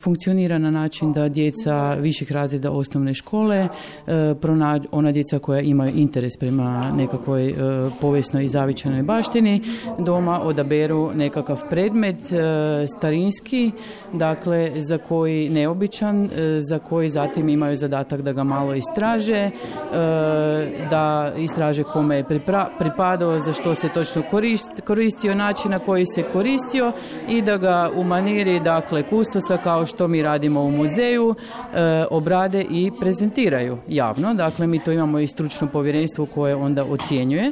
Funkcionira na način da djeca viših razreda osnovne škole, ona djeca koja imaju interes prema nekakvoj povijesnoj i zavičajnoj baštini, doma odaberu nekakav predmet starinski, dakle za koji neobičan, za koji zatim imaju zadatak da ga malo istraže, da istraže kome je pripadao, za što se točno koristio, način na koji se koristio i da ga u maniri, dakle, kustosa, kao što mi radimo u muzeju, obrade i prezentiraju javno. Dakle, mi to imamo i stručno povjerenstvo koje onda ocjenjuje.